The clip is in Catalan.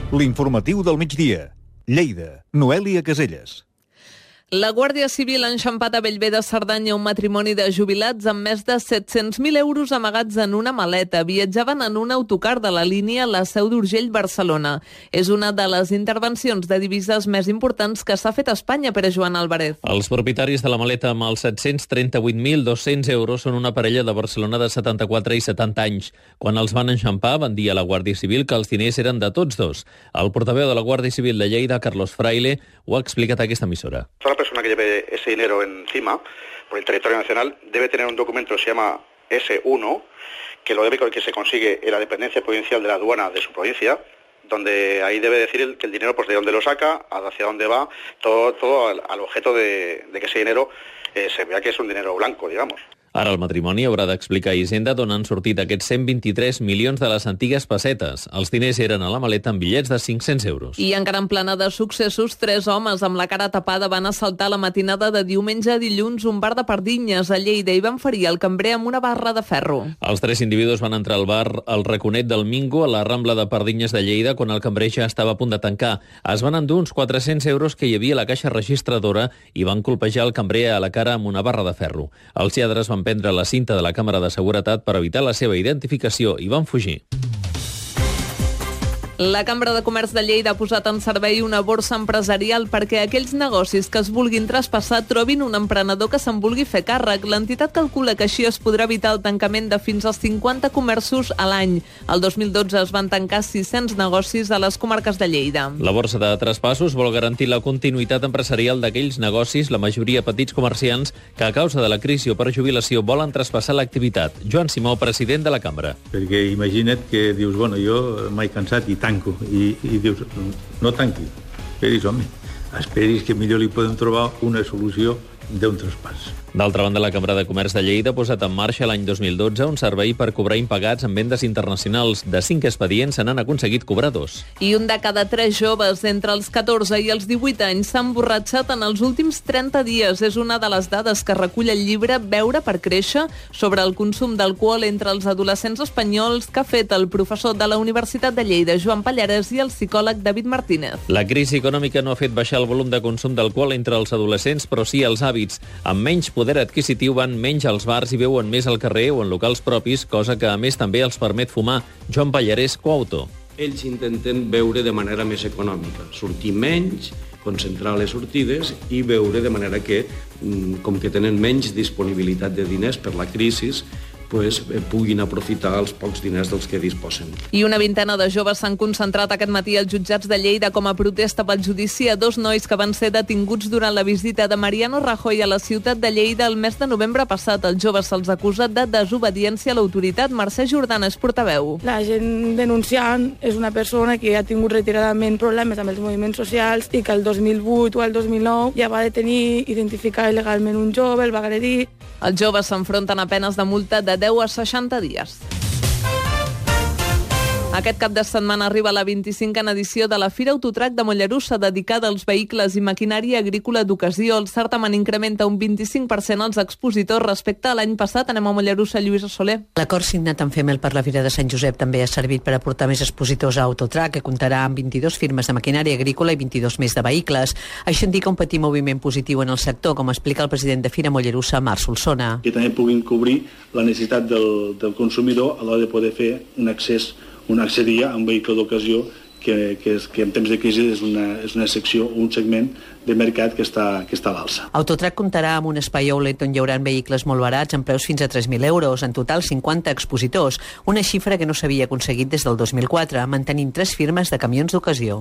L'informatiu del migdia. Lleida, Noèlia Caselles. La Guàrdia Civil ha enxampat a Bellver de Cerdanya un matrimoni de jubilats amb més de 700.000 euros amagats en una maleta. Viatjaven en un autocar de la línia La Seu d'Urgell-Barcelona. És una de les intervencions de divises més importants que s'ha fet a Espanya, per a Joan Álvarez. Els propietaris de la maleta amb els 738.200 euros són una parella de Barcelona de 74 i 70 anys. Quan els van enxampar, van dir a la Guàrdia Civil que els diners eren de tots dos. El portaveu de la Guàrdia Civil de Lleida, Carlos Fraile, ho ha explicat a aquesta emissora. La persona que lleve ese dinero encima por el territorio nacional debe tener un documento que se llama S1, que se consigue en la dependencia provincial de la aduana de su provincia, donde ahí debe decir que el dinero pues de dónde lo saca, hacia dónde va, todo al objeto de que ese dinero se vea que es un dinero blanco, digamos. Ara el matrimoni haurà d'explicar a Hisenda d'on han sortit aquests 123 milions de les antigues pessetes. Els diners eren a la maleta amb bitllets de 500 euros. I encara en plana de successos, 3 homes amb la cara tapada van assaltar la matinada de diumenge a dilluns un bar de Pardinyes a Lleida i van ferir el cambrer amb una barra de ferro. Els 3 individus van entrar al bar El Raconet del Mingo a la Rambla de Pardinyes de Lleida quan el cambrer ja estava a punt de tancar. Es van endur uns 400 euros que hi havia a la caixa registradora i van colpejar el cambrer a la cara amb una barra de ferro. Els lladres van prendre la cinta de la càmera de seguretat per evitar la seva identificació i van fugir. La Cambra de Comerç de Lleida ha posat en servei una borsa empresarial perquè aquells negocis que es vulguin traspassar trobin un emprenedor que se'n vulgui fer càrrec. L'entitat calcula que així es podrà evitar el tancament de fins als 50 comerços a l'any. El 2012 es van tancar 600 negocis a les comarques de Lleida. La borsa de traspassos vol garantir la continuïtat empresarial d'aquells negocis, la majoria petits comerciants, que a causa de la crisi o per jubilació volen traspassar l'activitat. Joan Simó, president de la Cambra. Perquè imagina't que dius, bueno, jo m'he cansat i tanco, i dius, no tanqui, esperis que millor li podem trobar una solució d'un traspàs. D'altra banda, la Cambra de Comerç de Lleida ha posat en marxa l'any 2012 un servei per cobrar impagats en vendes internacionals. De 5 expedients se n'han aconseguit cobrar 2. I un de cada 3 joves entre els 14 i els 18 anys s'ha emborratxat en els últims 30 dies. És una de les dades que recull el llibre Beure per créixer sobre el consum d'alcohol entre els adolescents espanyols que ha fet el professor de la Universitat de Lleida, Joan Pallares, i el psicòleg David Martínez. La crisi econòmica no ha fet baixar el volum de consum d'alcohol entre els adolescents, però sí els hàbits. Amb menys poder adquisitiu van menys als bars i beuen més al carrer o en locals propis, cosa que a més també els permet fumar. Joan Pallares, coautor. Ells intenten beure de manera més econòmica, sortir menys, concentrar les sortides i beure de manera que, com que tenen menys disponibilitat de diners per la crisi, puguin aprofitar els pocs diners dels que disposen. I una vintena de joves s'han concentrat aquest matí als jutjats de Lleida com a protesta pel judici a 2 nois que van ser detinguts durant la visita de Mariano Rajoy a la ciutat de Lleida el mes de novembre passat. Els joves se'ls acusa de desobediència a l'autoritat. Mercè Jordana és portaveu. La gent denunciant és una persona que ha tingut retiradament problemes amb els moviments socials i que el 2008 o el 2009 ja va detenir, identificar il·legalment un jove, el va agredir. Els joves s'enfronten a penes de multa de 10 a 60 dies. Aquest cap de setmana arriba la 25a edició de la Fira Autotrac de Mollerussa, dedicada als vehicles i maquinària agrícola d'ocasió. El certamen incrementa un 25% els expositors respecte a l'any passat. Anem a Mollerussa, Lluïsa Soler. L'acord signat amb FEMEL per la Fira de Sant Josep també ha servit per aportar més expositors a Autotrac, que comptarà amb 22 firmes de maquinària agrícola i 22 més de vehicles. Això indica un petit moviment positiu en el sector, com explica el president de Fira Mollerussa, Marc Solsona. Que també puguin cobrir la necessitat del consumidor a l'hora de poder fer un accedir a un vehicle d'ocasió que en temps de crisi és una secció, un segment de mercat que està a l'alça. Autotrac comptarà amb un espai outlet on hi haurà vehicles molt barats amb preus fins a 3.000 euros. En total, 50 expositors, una xifra que no s'havia aconseguit des del 2004, mantenint 3 firmes de camions d'ocasió.